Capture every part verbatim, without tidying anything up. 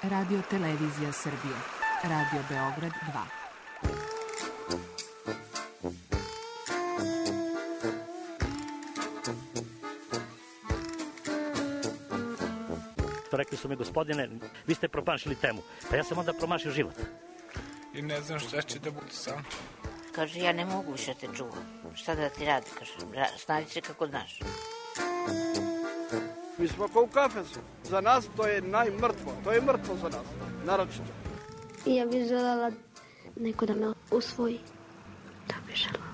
Radio Televizija Srbije. Radio Beograd dva. Rekli su mi, gospodine, vi ste promašili temu. Pa ja sam onda promašio život. I ne znam šta će da bude sam. Kaže, ja ne mogu više te čuvam. Šta da ti radi? Kaže, snađi se kako znaš. Mi smo kao u kafesu. Za nas to je najmrtvo. To je mrtvo za nas. Naročito. Ja bih željela neko da me usvoji. Da bih željela.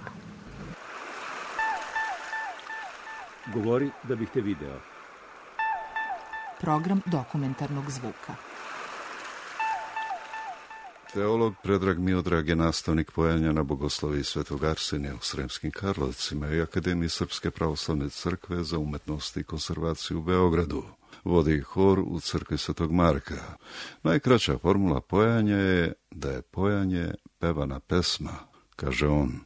Govori da bih te video. Program dokumentarnog zvuka. Teolog Predrag Miodrag je nastavnik pojanja na bogosloviji Svetog Arsenija u Sremskim Karlovcima i Akademiji Srpske pravoslavne crkve za umetnost i konzervaciju u Beogradu. Vodi hor u crkvi Svetog Marka. Najkraća formula pojanja je da je pojanje pevana pesma, kaže on.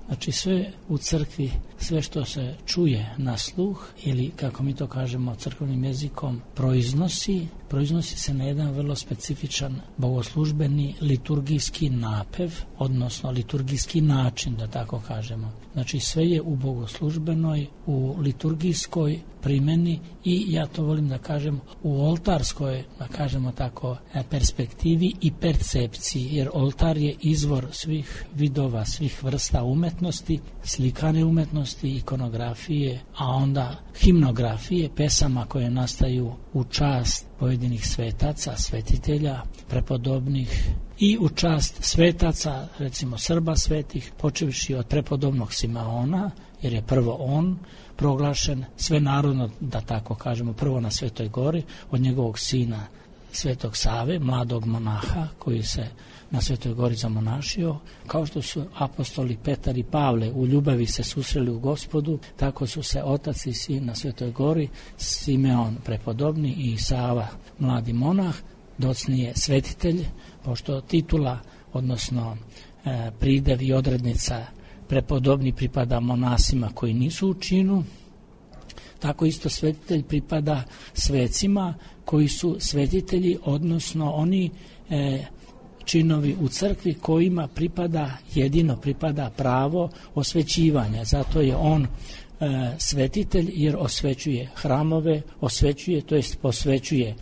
Znači sve u crkvi, sve što se čuje na sluh ili kako mi to kažemo crkvenim jezikom proiznosi, proiznosi se na jedan vrlo specifičan bogoslužbeni liturgijski napev, odnosno liturgijski način, da tako kažemo. Znači sve je u bogoslužbenoj, u liturgijskoj primjeni i ja to volim da kažem u oltarskoj, da kažemo tako, perspektivi i percepciji, jer oltar je izvor svih vidova, svih vrsta umetnosti, slikane umetnosti, ikonografije, a onda himnografije, pesama koje nastaju u čast pojedinih svetaca, svetitelja, prepodobnih i u čast svetaca, recimo Srba svetih, počevši od prepodobnog Simeona, jer je prvo on proglašen svenarodno, da tako kažemo, prvo na Svetoj gori, od njegovog sina Svetog Save, mladog monaha koji se na Svetoj gori zamonašio. Kao što su apostoli Petar i Pavle u ljubavi se susreli u Gospodu, tako su se otac i sin na Svetoj gori, Simeon prepodobni i Sava mladi monah, docnije svetitelj, pošto titula, odnosno e, pridev i odrednica prepodobni pripada monasima koji nisu u činu, tako isto svetitelj pripada svecima koji su svetitelji, odnosno oni e, činovi u crkvi kojima pripada, jedino pripada pravo osvećivanja. Zato je on e, svetitelj jer osvećuje hramove, osvećuje, to jest posvećuje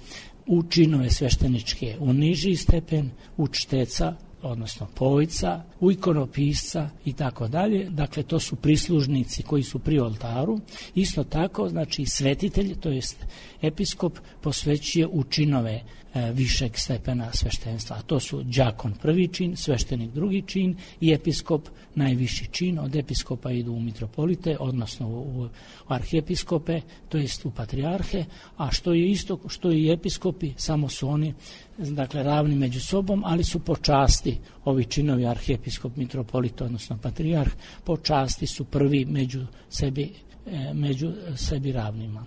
u činove svešteničke, u niži stepen, u čteca, odnosno pojca, u ikonopisca i tako dalje. Dakle, to su prislužnici koji su pri oltaru. Isto tako, znači, svetitelj, to jest episkop, posvećuje u činove e, višeg stepena sveštenstva. A to su đakon prvi čin, sveštenik drugi čin i episkop najviši čin. Od episkopa idu u mitropolite, odnosno u, u arhiepiskope, to jest u patrijarhe, a što je isto što i episkopi, samo su oni dakle ravni među sobom, ali su po časti ovi činovi arhiepiskop, mitropolit, odnosno patrijarh, po časti su prvi među sebi, e, među sebi ravnima.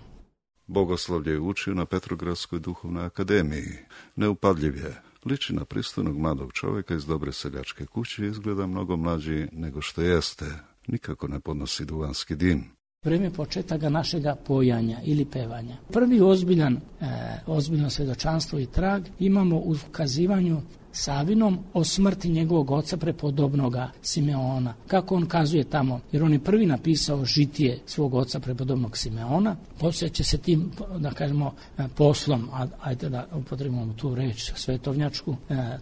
Bogoslovlje je učio na Petrogradskoj duhovnoj akademiji. Neupadljiv je. Liči na pristojnog mladog čovjeka iz dobre seljačke kuće i izgleda mnogo mlađi nego što jeste. Nikako ne podnosi duvanski dim. Vreme početaka našega pojanja ili pevanja. Prvi ozbiljan, e, ozbiljno svjedočanstvo i trag imamo u kazivanju Savinom o smrti njegovog oca prepodobnoga Simeona. Kako on kazuje tamo, jer on je prvi napisao žitije svog oca prepodobnog Simeona, poslije će se tim, da kažemo, poslom, ajde da upotrebimo tu reč svetovnjačku,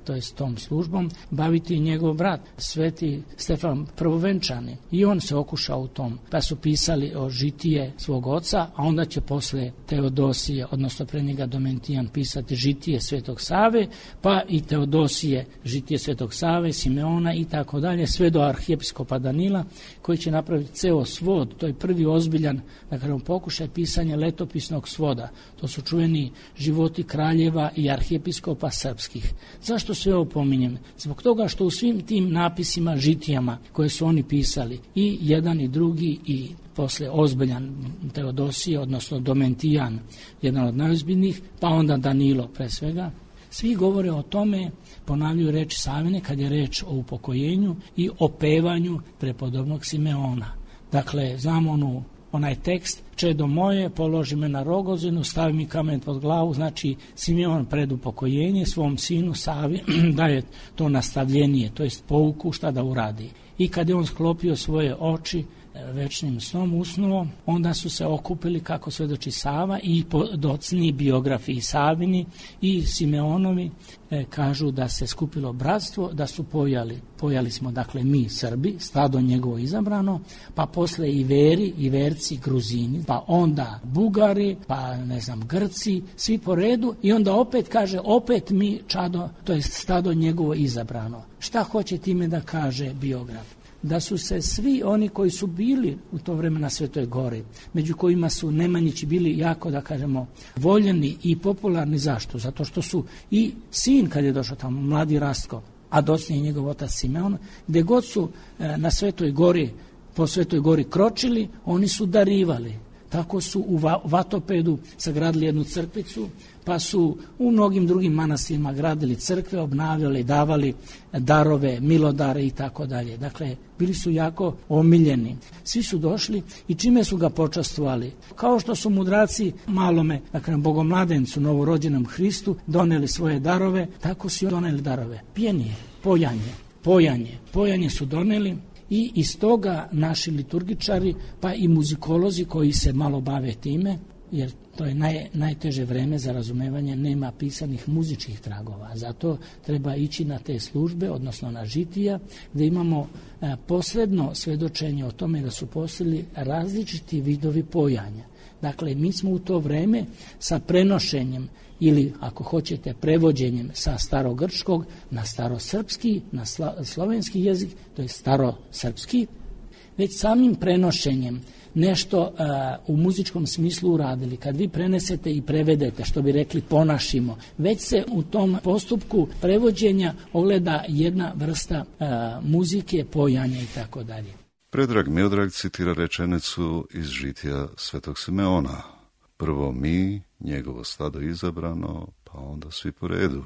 to je s tom službom, baviti njegov brat, sveti Stefan Prvovenčani. I on se okušao u tom, pa su pisali o žitije svog oca, a onda će posle Teodosije, odnosno pre njega Domentijan, pisati žitije Svetog Save, pa i Teodosije Dosije, žitije Svetog Save, Simeona i tako dalje, sve do arhiepiskopa Danila, koji će napraviti ceo svod. To je prvi ozbiljan, da kažem, pokušaj pisanja letopisnog svoda. To su čuveni životi kraljeva i arhiepiskopa srpskih. Zašto sve ovo pominjem? Zbog toga što u svim tim napisima, žitijama koje su oni pisali, i jedan i drugi i posle ozbiljan Teodosije, odnosno Domentijan, jedan od najozbiljnijih, pa onda Danilo pre svega, svi govore o tome, ponavljaju reč Savine kad je reč o upokojenju i o pevanju prepodobnog Simeona. Dakle, znamo onu onaj tekst, čedo moje, položi me na rogozinu, stavi mi kamen pod glavu, znači Simeon pred upokojenje svom sinu Savi daje to nastavljenije, to jest pouku šta da uradi. I kad je on sklopio svoje oči, večnim snom usnuo, onda su se okupili, kako svedoči Sava, i docni biografi i Savini i Simeonovi e, kažu da se skupilo bratstvo, da su pojali, pojali smo dakle mi Srbi, stado njegovo izabrano, pa posle i Veri, i Verci, Gruzini, pa onda Bugari, pa ne znam Grci, svi po redu, i onda opet kaže, opet mi čado, to je stado njegovo izabrano. Šta hoće time da kaže biograf? Da su se svi oni koji su bili u to vreme na Svetoj Gori, među kojima su Nemanjići bili jako, da kažemo, voljeni i popularni. Zašto? Zato što su i sin, kad je došao tamo, mladi Rastko, a docnije njegov otac Simeon, gde god su e, na Svetoj Gori, po Svetoj Gori kročili, oni su darivali. Tako su u Vatopedu sagradili jednu crkvicu, pa su u mnogim drugim manastirima gradili crkve, obnavljali, davali darove, milodare i tako dalje. Dakle, bili su jako omiljeni. Svi su došli i čime su ga počastvovali? Kao što su mudraci malome, dakle, bogomladencu, novorođenom Hristu, doneli svoje darove, tako su doneli darove. Pijenije, pojanje, pojanje, pojanje su doneli. I iz toga naši liturgičari, pa i muzikolozi koji se malo bave time, jer to je naj, najteže vreme za razumevanje, nema pisanih muzičkih tragova. Zato treba ići na te službe, odnosno na žitija, gde imamo e, posredno svedočenje o tome da su postojali različiti vidovi pojanja. Dakle, mi smo u to vreme sa prenošenjem ili, ako hoćete, prevođenjem sa starogrčkog na starosrpski, na slovenski jezik, to je starosrpski, već samim prenošenjem nešto uh, u muzičkom smislu uradili. Kad vi prenesete i prevedete, što bi rekli ponašimo, već se u tom postupku prevođenja ogleda jedna vrsta uh, muzike, pojanja i tako dalje. Predrag Miodrag citira rečenicu iz žitija Svetog Simeona. Prvo mi, njegovo stado izabrano, pa onda svi po redu.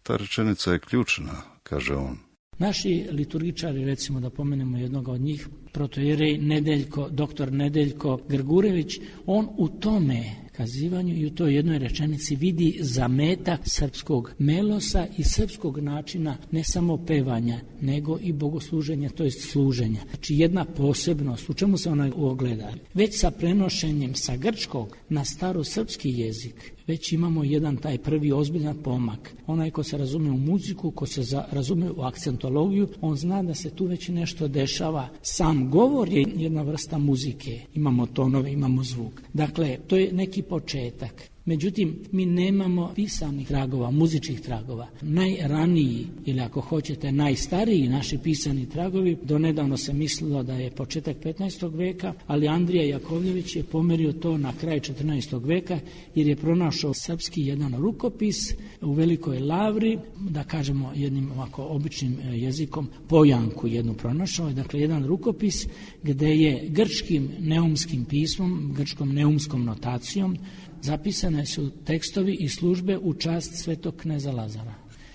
Ta rečenica je ključna, kaže on. Naši liturgičari, recimo da pomenemo jednog od njih, protojerej Nedeljko, doktor Nedeljko Grgurević, on u tome kazivanju i u toj jednoj rečenici vidi zametak srpskog melosa i srpskog načina ne samo pevanja, nego i bogosluženja, to jest služenja. Znači jedna posebnost, u čemu se ona ogleda? Već sa prenošenjem sa grčkog na starosrpski jezik, već imamo jedan taj prvi ozbiljan pomak. Onaj ko se razume u muziku, ko se za, razume u akcentologiju, on zna da se tu već nešto dešava. Sam govor je jedna vrsta muzike. Imamo tonove, imamo zvuk. Dakle, to je neki početak. Međutim, mi nemamo pisanih tragova, muzičkih tragova. Najraniji, ili ako hoćete, najstariji naši pisani tragovi, donedavno se mislilo da je početak petnaestog veka, ali Andrija Jakovljević je pomerio to na kraj četrnaestog veka, jer je pronašao srpski jedan rukopis u Velikoj Lavri, da kažemo jednim ovako običnim jezikom, pojanku jednu pronašao, dakle jedan rukopis gde je grčkim neumskim pismom, grčkom neumskom notacijom, zapisane su tekstovi i službe u čast svetog kneza Lazara.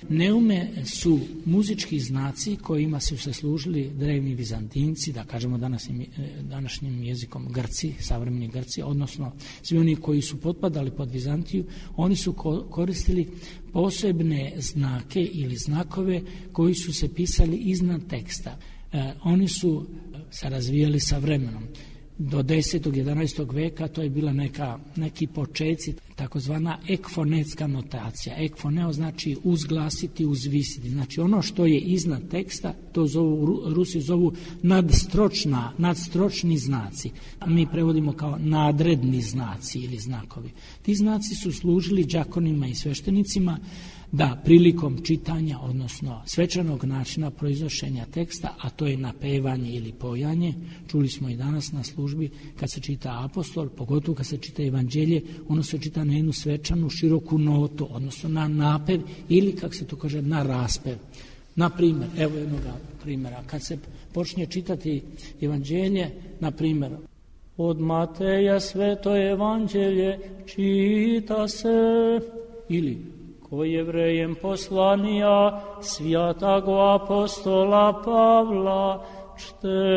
Neume su muzički znaci kojima su se služili drevni Vizantinci, da kažemo današnjim, današnjim jezikom Grci, savremeni Grci, odnosno svi oni koji su potpadali pod Vizantiju, oni su koristili posebne znake ili znakove koji su se pisali iznad teksta. E, oni su se razvijali sa vremenom. Do desetog jedanaestog veka to je bila neka, neki počeci, takozvana ekfonetska notacija. Ekfoneo znači uzglasiti, uzvisiti. Znači ono što je iznad teksta, to zovu, Rusi zovu nadstročna, nadstročni znaci. Mi prevodimo kao nadredni znaci ili znakovi. Ti znaci su služili đakonima i sveštenicima da prilikom čitanja, odnosno svečanog načina proiznošenja teksta, a to je napevanje ili pojanje, čuli smo i danas na službi, kad se čita apostol, pogotovo kad se čita evanđelje, ono se čita na jednu svečanu široku notu, odnosno na napev ili, kako se to kaže, na raspev. Na primjer, evo jednog primjera, kad se počne čitati evanđelje, na primjer, od Mateja sveto evanđelje čita se, ili ko Jevrejem poslanija svjatago apostola Pavla čtenije.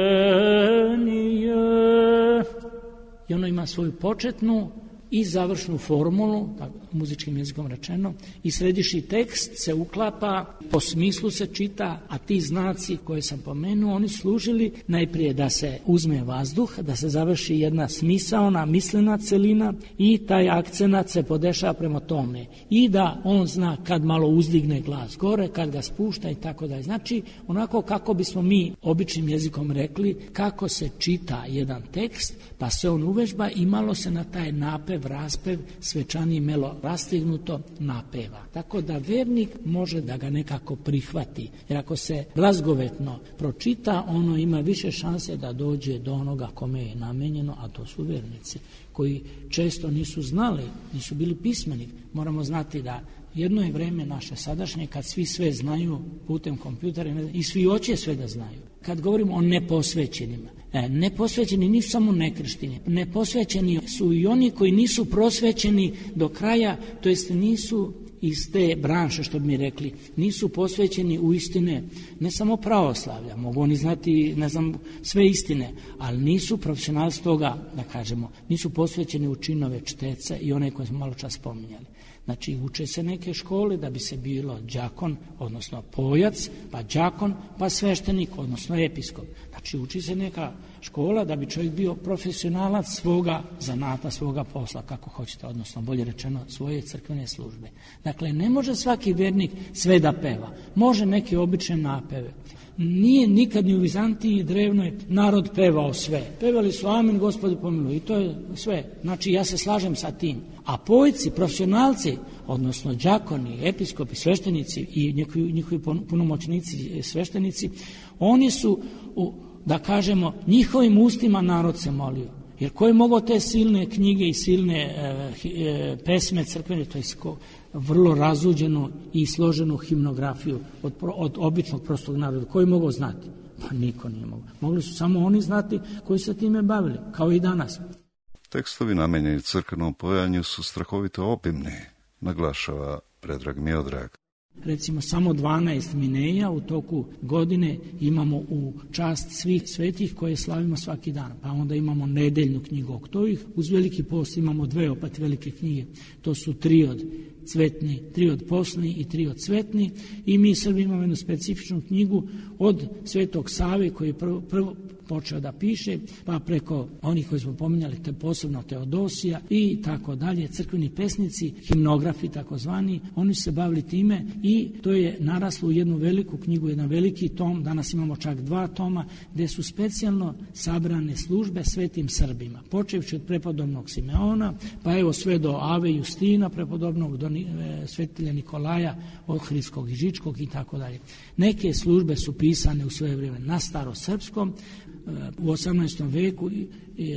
i ono ima svoju početnu i završnu formulu, tako, muzičkim jezikom rečeno, i središnji tekst se uklapa, po smislu se čita, a ti znaci koje sam pomenuo, oni služili najprije da se uzme vazduh, da se završi jedna smisaona, mislena celina i taj akcenat se podešava prema tome. I da on zna kad malo uzdigne glas gore, kad ga spušta i tako dalje. Znači, onako kako bismo mi običnim jezikom rekli, kako se čita jedan tekst, pa se on uvežba i malo se na taj napev, raspev, svečani melo rastignuto napeva. Tako da vernik može da ga nekako prihvati. Jer ako se glazgovetno pročita, ono ima više šanse da dođe do onoga kome je namenjeno, a to su vernici, koji često nisu znali, nisu bili pismeni. Moramo znati da jedno je vreme naše sadašnje kad svi sve znaju putem kompjutera i svi hoće sve da znaju. Kad govorimo o neposvećenima, e, neposvećeni nisu samo nekršteni, neposvećeni su i oni koji nisu prosvećeni do kraja, to jest nisu iz te branše, što bi mi rekli, nisu posvećeni u istine, ne samo pravoslavlja, mogu oni znati, ne znam, sve istine, ali nisu profesionalci toga, da kažemo, nisu posvećeni u činove čteca i one koje smo malo čas spominjali. Znači, uče se neke škole da bi se bilo đakon, odnosno pojac, pa đakon, pa sveštenik, odnosno episkop. Znači, uči se neka škola da bi čovjek bio profesionalac svoga zanata, svoga posla, kako hoćete, odnosno, bolje rečeno, svoje crkvene službe. Dakle, ne može svaki vernik sve da peva. Može neke obične napeve. Nije nikad ni u Vizantiji drevnoj narod pevao sve. Pevali su amin, Gospodu pomiluj, i to je sve. Znači, ja se slažem sa tim. A pojci, profesionalci, odnosno đakoni, episkopi, sveštenici i njihovi, njihovi punomoćnici sveštenici, oni su, u, da kažemo, njihovim ustima narod se molio. Jer ko je mogao te silne knjige i silne e, e, pesme crkvene, to je vrlo razuđenu i složenu himnografiju od, od običnog prostog naroda, ko je mogao znati? Pa niko nije mogao. Mogli su samo oni znati koji se time bavili, kao i danas. Tekstovi namenjeni crkvenom pojanju su strahovito obimni, naglašava Predrag Miodrag. Recimo, samo dvanaest mineja u toku godine imamo u čast svih svetih koje slavimo svaki dan. Pa onda imamo nedeljnu knjigu Oktovih, uz Veliki post imamo dve opet velike knjige. To su triod cvetni, triod posni i triod cvetni. I mi Srbi imamo jednu specifičnu knjigu od Svetog Save koji je prvo, prvo počeo da piše, pa preko onih koji smo pominjali, te posebno Teodosija i tako dalje, crkveni pesnici, himnografi takozvani, oni su se bavili time i to je naraslo u jednu veliku knjigu, jedan veliki tom, danas imamo čak dva toma, gde su specijalno sabrane službe svetim Srbima, počevši od prepodobnog Simeona, pa evo sve do Ave Justina, prepodobnog do svetitelja Nikolaja, Ohridskog i Žičkog i tako dalje. Neke službe su pisane u svoje vrijeme na starosrpskom. U osamnaestom veku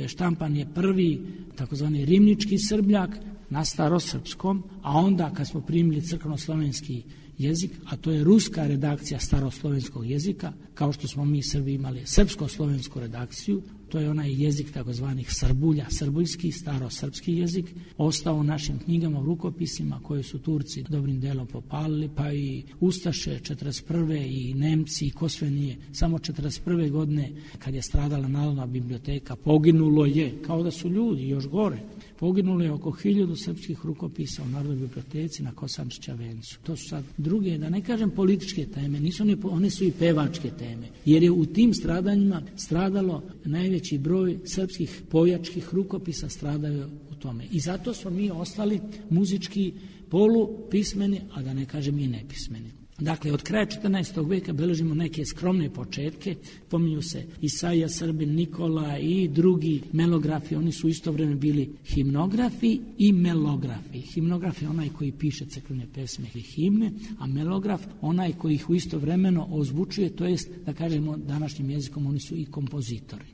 štampan je prvi takozvani rimnički srbljak na starosrpskom, a onda kad smo primili crkveno-slovenski jezik, a to je ruska redakcija staroslovenskog jezika, kao što smo mi Srbi imali srpsko-slovensku redakciju, to je onaj jezik takozvanih Srbulja, srbuljski, starosrpski jezik, ostao u našim knjigama, u rukopisima koje su Turci dobrim delom popalili, pa i Ustaše četrdeset prve i Nemci i ko sve nije. Samo četrdeset prve godine, kad je stradala Narodna biblioteka, poginulo je, kao da su ljudi, još gore, poginulo je oko hiljadu srpskih rukopisa u Narodnoj biblioteci na Kosančića vencu. To su sad druge, da ne kažem političke teme, nisu one, one su i pevačke teme, jer je u tim stradanjima stradalo najveći broj srpskih pojačkih rukopisa, stradaju u tome. I zato smo mi ostali muzički polupismeni, a da ne kažem i nepismeni. Dakle, od kraja četrnaestog veka beležimo neke skromne početke, pominju se Isaija Srbin, Nikola i drugi melografi, oni su isto vreme bili himnografi i melografi. Himnograf je onaj koji piše crkvene pesme i himne, a melograf onaj koji ih u isto vremeno ozvučuje, to jest, da kažemo današnjim jezikom, oni su i kompozitori.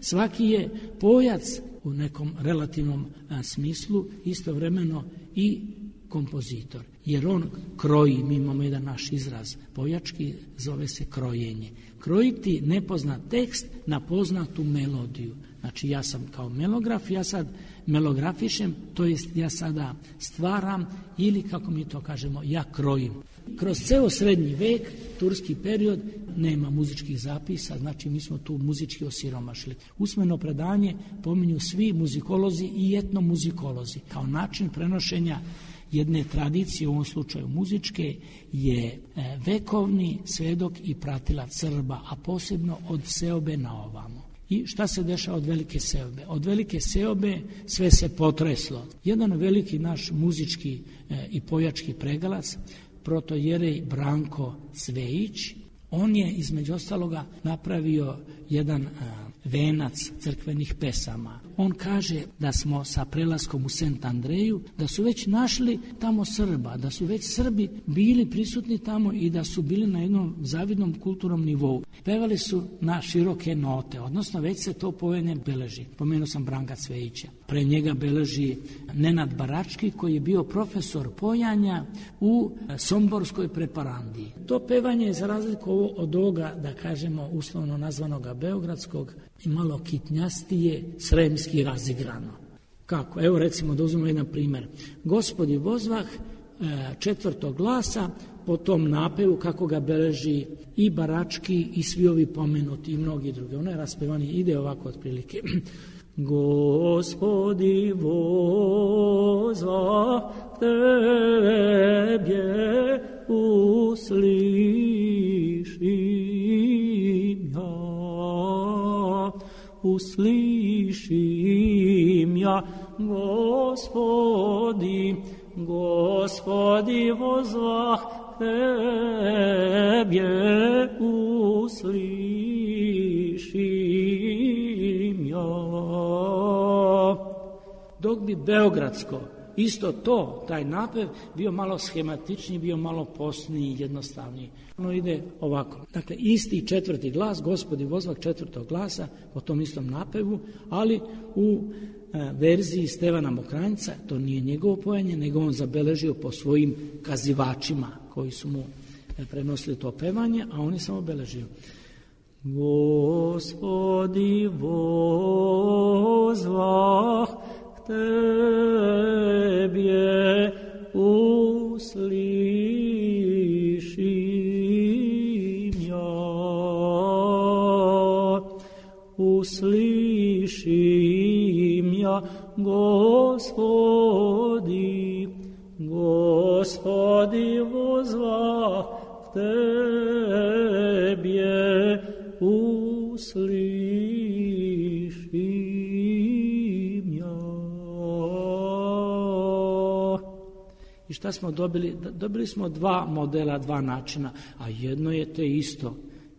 Svaki je pojac u nekom relativnom a, smislu istovremeno i kompozitor, jer on kroji, mi imamo jedan naš izraz pojački, zove se krojenje. Krojiti nepoznat tekst na poznatu melodiju. Znači ja sam kao melograf, ja sad melografišem, to jest ja sada stvaram ili kako mi to kažemo, ja krojim. Kroz ceo srednji vek, turski period, nema muzičkih zapisa, znači mi smo tu muzički osiromašili. Usmeno predanje pominju svi muzikolozi i etnomuzikolozi. Kao način prenošenja jedne tradicije, u ovom slučaju muzičke, je vekovni svedok i pratilac Srba, a posebno od seobe na ovamo. I šta se dešava od velike seobe? Od velike seobe sve se potreslo. Jedan veliki naš muzički e, i pojački pregalac, protojerej Branko Cvejić, on je između ostaloga napravio jedan a, venac crkvenih pesama. On kaže da smo sa prelaskom u Sent Andreju, da su već našli tamo Srba, da su već Srbi bili prisutni tamo i da su bili na jednom zavidnom kulturnom nivou. Pevali su na široke note, odnosno već se to pojenje beleži. Pomenuo sam Branka Cvejića. Pre njega beleži Nenad Barački, koji je bio profesor pojanja u Somborskoj preparandiji. To pevanje je za razliku od ovoga, da kažemo, uslovno nazvanoga beogradskog, i malo kitnjastije, sremski razigrano. Kako? Evo recimo da uzmemo jedan primjer. Gospodi vozvah četvrtog glasa po tom napevu kako ga beleži i Barački i svi ovi pomenuti i mnogi drugi. Ono je raspevanje, ide ovako otprilike. Gospodi vozvah tebje uslišim ja. Uslišim ja, Gospodi, Gospodi vozvah tebje uslišim ja. Dok bi beogradsko, isto to, taj napev, bio malo schematičniji, bio malo postniji, jednostavniji. Ono ide ovako. Dakle, isti četvrti glas, Gospodi vozvah četvrtog glasa, po tom istom napevu, ali u e, verziji Stevana Mokranjca, to nije njegovo pojanje, nego on zabeležio po svojim kazivačima, koji su mu e, prenosili to pevanje, a on je samo obeležio. Gospodi vozvah tebje uslišim ja, uslišim ja, Gospodi, Gospodi vozvah tebje uslišim ja. I šta smo dobili? Dobili smo dva modela, dva načina, a jedno je te isto.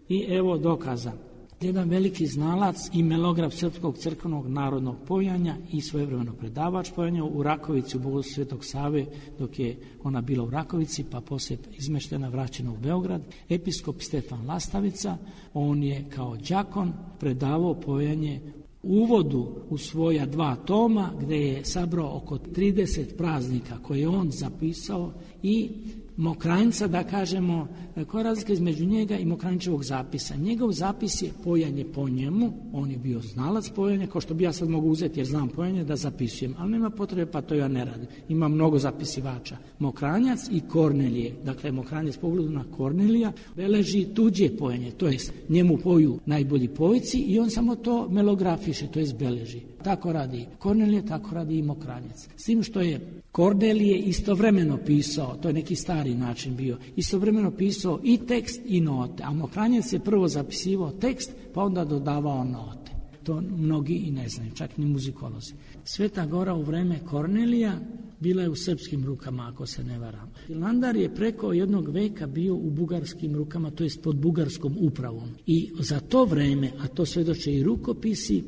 I evo dokaza. Jedan veliki znalac i melograf srpskog crkvenog narodnog pojanja i svojevremeno predavač pojanja u Rakovici u Bogoslužju Svetog Save, dok je ona bila u Rakovici, pa poslije izmeštena, vraćena u Beograd, episkop Stefan Lastavica, on je kao đakon predavao pojanje uvodu u svoja dva toma, gde je sabrao oko trideset praznika koje je on zapisao i Mokranjca, da kažemo, koja je razlika između njega i Mokranjčevog zapisa. Njegov zapis je pojanje po njemu, on je bio znalac pojanja, kao što bi ja sad mogu uzeti jer znam pojanje da zapisujem, ali nema potrebe, pa to ja ne radim. Ima mnogo zapisivača. Mokranjac i Kornelije, dakle Mokranjac pogledu na Kornelija, beleži tuđe pojanje, to jest njemu poju najbolji pojci i on samo to melografiše, to jest beleži. Tako radi Kornelije, tako radi i Mokranjac. S tim što je Kornelije istovremeno pisao, to je neki stari način bio, istovremeno pisao i tekst i note, a Mokranjac je prvo zapisivao tekst, pa onda dodavao note. To mnogi i ne znaju, čak ni muzikolozi. Sveta Gora u vreme Kornelija bila je u srpskim rukama, ako se ne varam. Hilandar je preko jednog veka bio u bugarskim rukama, to jest pod bugarskom upravom. I za to vreme, a to svedoče i rukopisi,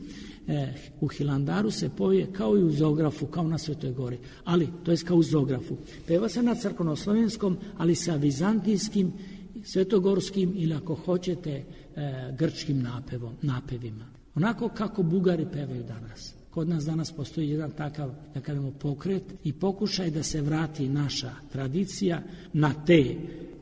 E, u Hilandaru se poje kao i u Zografu, kao na Svetoj Gori, ali to je kao u Zografu. Peva se na crkvenoslovenskom, ali sa vizantijskim, svetogorskim ili ako hoćete e, grčkim napevom, napevima. Onako kako Bugari pevaju danas. Kod nas danas postoji jedan takav, da kažemo, pokret i pokušaj da se vrati naša tradicija na te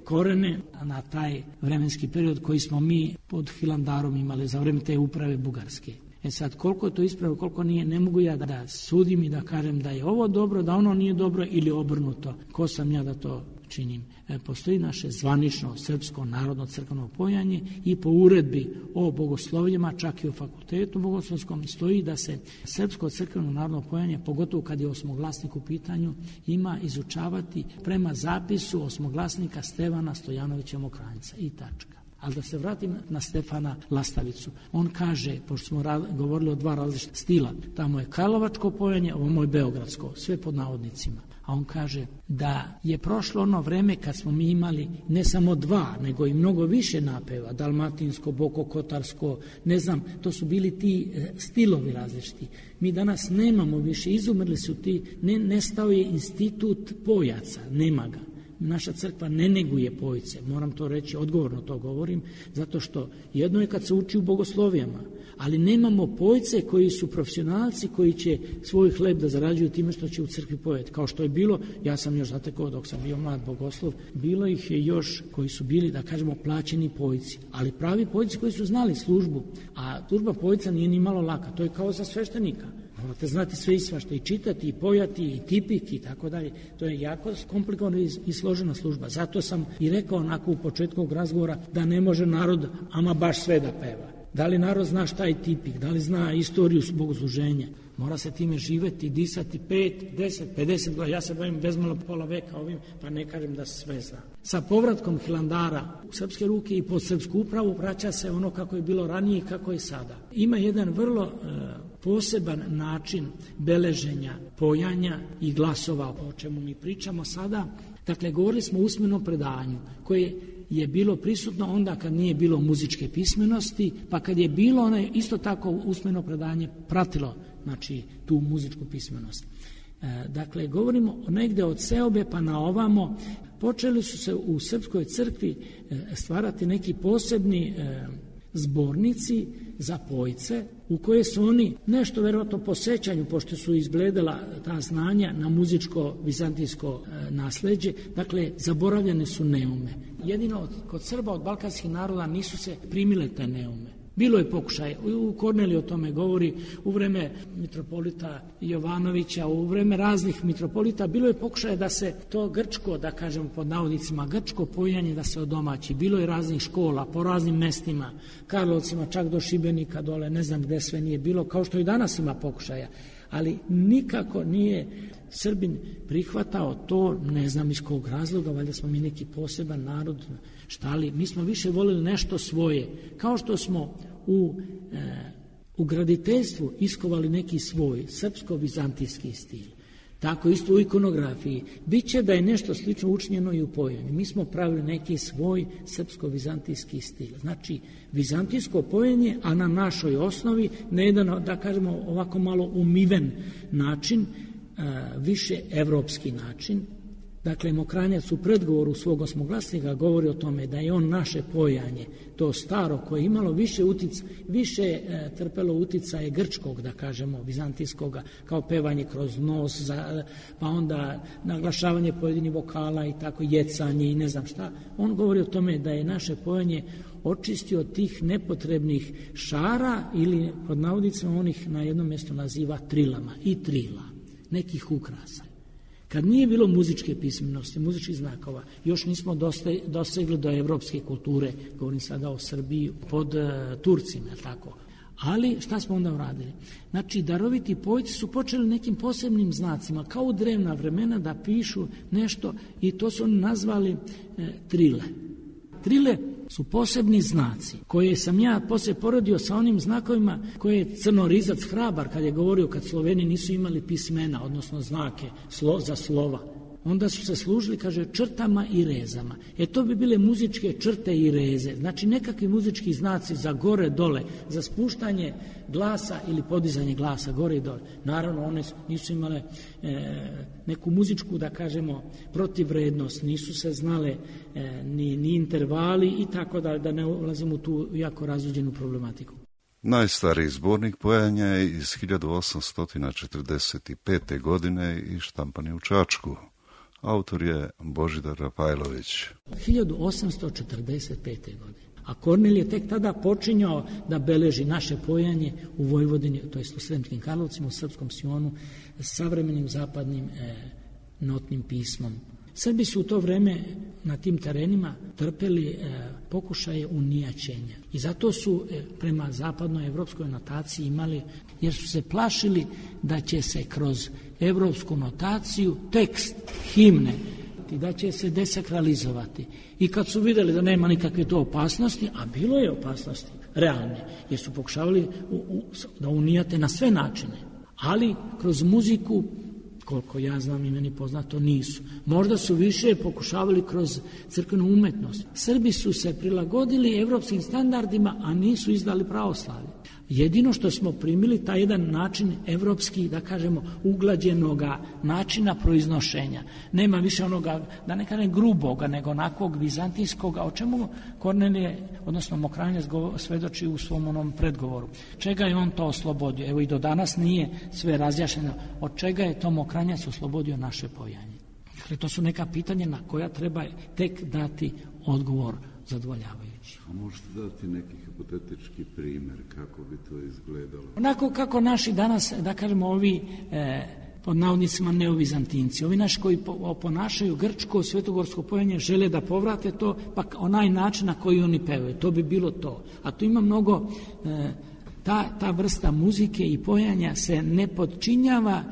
korene, na taj vremenski period koji smo mi pod Hilandarom imali za vreme te uprave bugarske. E sad, koliko je to ispravno, koliko nije, ne mogu ja da sudim i da kažem da je ovo dobro, da ono nije dobro ili obrnuto. Ko sam ja da to činim? E, postoji naše zvanično srpsko narodno crkveno pojanje i po uredbi o bogoslovljima, čak i u fakultetu bogoslovskom, stoji da se srpsko crkveno narodno pojanje, pogotovo kad je osmoglasnik u pitanju, ima izučavati prema zapisu osmoglasnika Stevana Stojanovića Mokranjca i tačka. Ali da se vratim na Stefana Lastavicu. On kaže, pošto smo ra- govorili o dva različita stila, tamo je karlovačko pojanje, ovo je beogradsko, sve pod navodnicima. A on kaže da je prošlo ono vreme kad smo mi imali ne samo dva, nego i mnogo više napeva, dalmatinsko, bokokotarsko, ne znam, to su bili ti stilovi različiti. Mi danas nemamo više, izumrli su ti, ne, nestao je institut pojaca, nema ga. Naša crkva ne neguje pojice, moram to reći, odgovorno to govorim, zato što jedno je kad se uči u bogoslovijama, ali nemamo pojice koji su profesionalci koji će svoj hleb da zarađuju time što će u crkvi pojeti. Kao što je bilo, ja sam još zatekao dok sam bio mlad bogoslov, bilo ih je još koji su bili, da kažemo, plaćeni pojici, ali pravi pojici koji su znali službu, a služba pojica nije ni malo laka, to je kao za sveštenika. Morate znati sve i svašta, i čitati, i pojati, i tipik, i tako dalje. To je jako komplikovana i složena služba. Zato sam i rekao onako u početku razgovora da ne može narod ama baš sve da peva. Da li narod zna šta je tipik, da li zna istoriju bogosluženja. Mora se time živeti, disati pet, deset, pedeset godina. Ja se bavim bezmalo pola veka ovim, pa ne kažem da se sve zna. Sa povratkom Hilandara u srpske ruke i pod srpsku upravu vraća se ono kako je bilo ranije i kako je sada. Ima jedan vrlo e, poseban način beleženja, pojanja i glasova, o čemu mi pričamo sada. Dakle, govorili smo o usmenom predanju koje je bilo prisutno onda kad nije bilo muzičke pismenosti, pa kad je bilo ono isto tako usmeno predanje pratilo, znači, tu muzičku pismenost. E, dakle, govorimo negde od seobe pa na ovamo, počeli su se u srpskoj crkvi e, stvarati neki posebni e, zbornici za pojce, u koje su oni nešto verovatno po sećanju, pošto su izgledala ta znanja na muzičko vizantijsko e, nasleđe, dakle, zaboravljene su neume. Jedino od, kod Srba od balkanskih naroda nisu se primile te neume. Bilo je pokušaj, u Korneliju o tome govori, u vreme mitropolita Jovanovića, u vreme raznih mitropolita, bilo je pokušaj da se to grčko, da kažem pod navodnicima, grčko pojanje da se odomaći. Bilo je raznih škola po raznim mestima, Karlovcima, čak do Šibenika dole, ne znam gde sve nije bilo, kao što i danas ima pokušaja. Ali nikako nije Srbin prihvatao to, ne znam iz kog razloga, valjda smo mi neki poseban narod, šta li, mi smo više volili nešto svoje, kao što smo u, e, u graditeljstvu iskovali neki svoj srpsko-vizantijski stil. Tako isto u ikonografiji. Biće da je nešto slično učinjeno i u pojenju. Mi smo pravili neki svoj srpsko-vizantijski stil. Znači, vizantijsko pojenje, a na našoj osnovi, na jedan, da kažemo, ovako malo umiven način, više evropski način. Dakle, Mokranjac u predgovoru svog osmoglasnika govori o tome da je on naše pojanje, to staro koje je imalo više utic, više e, trpelo uticaje grčkog, da kažemo, vizantijskoga, kao pevanje kroz nos, za, pa onda naglašavanje pojedinih vokala i tako, jecanje i ne znam šta. On govori o tome da je naše pojanje očistio od tih nepotrebnih šara ili, pod navodnicima, onih na jednom mjestu naziva trilama i trila, nekih ukrasa. Kad nije bilo muzičke pismenosti, muzičkih znakova, još nismo dosegli do evropske kulture, govorim sada o Srbiji, pod uh, Turcima, tako. Ali šta smo onda uradili? Znači, daroviti pojci su počeli nekim posebnim znacima, kao u drevna vremena, da pišu nešto i to su oni nazvali e, trile. Trile su posebni znaci koje sam ja poslije poredio sa onim znakovima koje je Crnorizac Hrabar kad je govorio kad Sloveni nisu imali pismena, odnosno znake slo, za slova. Onda su se služili, kaže, črtama i rezama. E to bi bile muzičke črte i reze. Znači nekakvi muzički znaci za gore, dole, za spuštanje glasa ili podizanje glasa gore i dole. Naravno, one nisu imale e, neku muzičku, da kažemo, protivrednost, nisu se znale e, ni, ni intervali i tako da, da ne ulazimo u tu jako razluđenu problematiku. Najstariji zbornik pojanja je iz hiljadu osamsto četrdeset pete. godine i štampan je u Čačku. Autor je Božidar Rafajlović. hiljadu osamsto četrdeset pete. godine. A Kornel je tek tada počinjao da beleži naše pojanje u Vojvodini, to jest u Sremskim Karlovcima, u Srpskom Sionu, savremenim zapadnim e, notnim pismom. Srbi su u to vreme na tim terenima trpeli e, pokušaje unijaćenja i zato su e, prema zapadnoj evropskoj notaciji imali, jer su se plašili da će se kroz evropsku notaciju tekst himne i da će se desakralizovati. I kad su vidjeli da nema nikakve to opasnosti, a bilo je opasnosti realne, jer su pokušavali u, u, da unijate na sve načine, ali kroz muziku, koliko ja znam i meni poznato, nisu. Možda su više pokušavali kroz crkvenu umetnost. Srbi su se prilagodili evropskim standardima, a nisu izdali pravoslavlje. Jedino što smo primili taj jedan način evropski, da kažemo, uglađenoga načina proiznošenja. Nema više onoga, da ne kažem gruboga, nego onakvog vizantijskoga, o čemu Kornelije, odnosno Mokranjac svedoči u svom onom predgovoru. Čega je on to oslobodio? Evo i do danas nije sve razjašnjeno. Od čega je to Mokranjac oslobodio naše pojanje? Dakle, to su neka pitanja na koja treba tek dati odgovor zadovoljavajući. A možete dati neki hipotetički primjer kako bi to izgledalo? Onako kako naši danas, da kažemo, ovi e, pod navodnicima neovizantinci, ovi naši koji po, ponašaju grčko, svetogorsko pojanje, žele da povrate to, pa onaj način na koji oni pevaju, to bi bilo to. A tu ima mnogo, e, ta, ta vrsta muzike i pojanja se ne podčinjava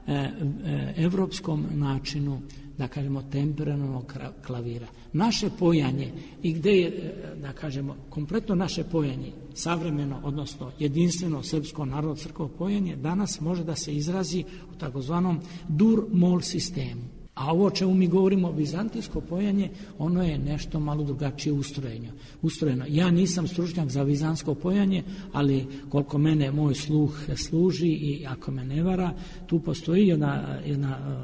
e, e, evropskom načinu, da kažemo, temperiranog klavira. Naše pojanje i gde je, da kažemo, kompletno naše pojanje, savremeno, odnosno jedinstveno srpsko narodno crkvo pojanje, danas može da se izrazi u takozvanom dur-mol sistemu. A ovo o čemu mi govorimo, vizantijsko pojanje, ono je nešto malo drugačije ustrojeno. ustrojeno. Ja nisam stručnjak za vizantsko pojanje, ali koliko mene moj sluh služi i ako me ne vara, tu postoji jedna, jedna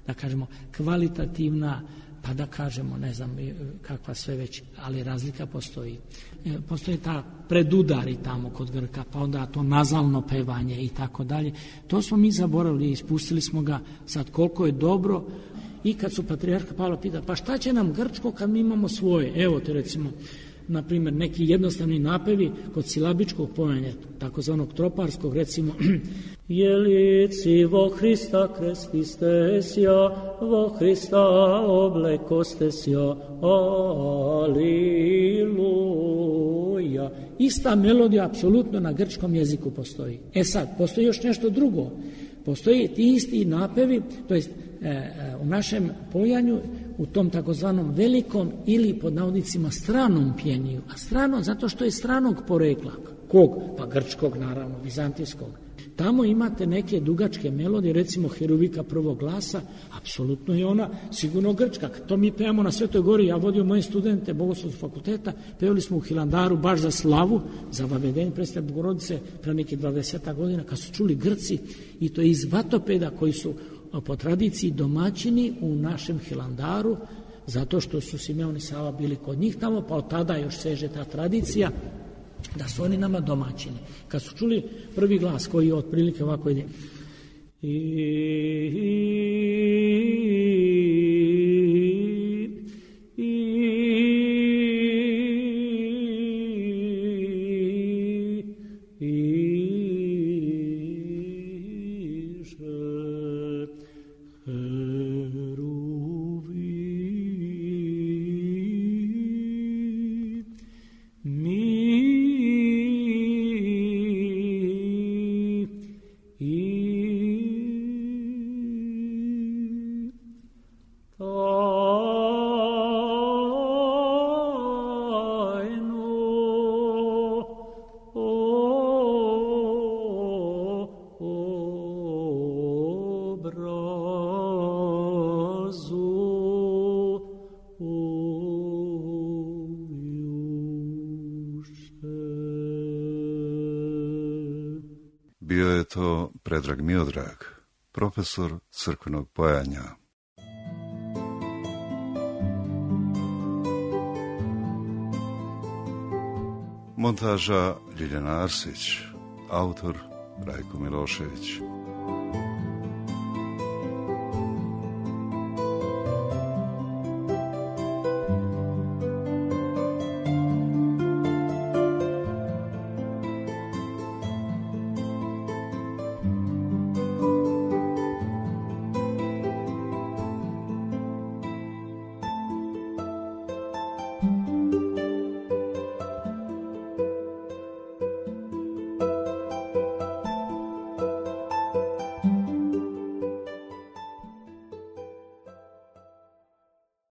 da kažemo, kvalitativna, pa da kažemo, ne znam kakva sve već, ali razlika postoji. Postoji ta predudari tamo kod Grka, pa onda to nazalno pevanje i tako dalje. To smo mi zaboravili i ispustili smo ga sad koliko je dobro. I kad su patrijarha Pavla pita, pa šta će nam grčko kad mi imamo svoje? Evo te recimo, na primjer, neki jednostavni napevi kod silabičkog pojanja, takozvanog troparskog, recimo Jelici vo Hrista krestistesja, vo Hrista oblekostesja, aliluja. Ista melodija apsolutno na grčkom jeziku postoji. E sad, postoji još nešto drugo. Postoji ti isti napevi, to jest u našem pojanju, u tom takozvanom velikom ili pod navodnicima stranom pjeniju. A strano zato što je stranog porekla. Kog? Pa grčkog, naravno, vizantijskog. Tamo imate neke dugačke melodije, recimo Heruvika prvog glasa, apsolutno je ona sigurno grčka. To mi pevamo na Svetoj Gori, ja vodio moje studente Bogoslovskog fakulteta, pevali smo u Hilandaru baš za slavu, za vavedenje predstave Bogorodice pre nekih dvadeset godina, kad su čuli Grci, i to iz vatopeda koji su po tradiciji domaćini u našem Hilandaru, zato što su Simeon i Sava bili kod njih tamo, pa od tada još seže ta tradicija da su oni nama domaćini. Kad su čuli prvi glas koji je otprilike ovako ide i, i, i, Bio je to Predrag Miodrag, profesor crkvenog pojanja. Montaža Ljiljana Arsić, autor Rajko Milošević.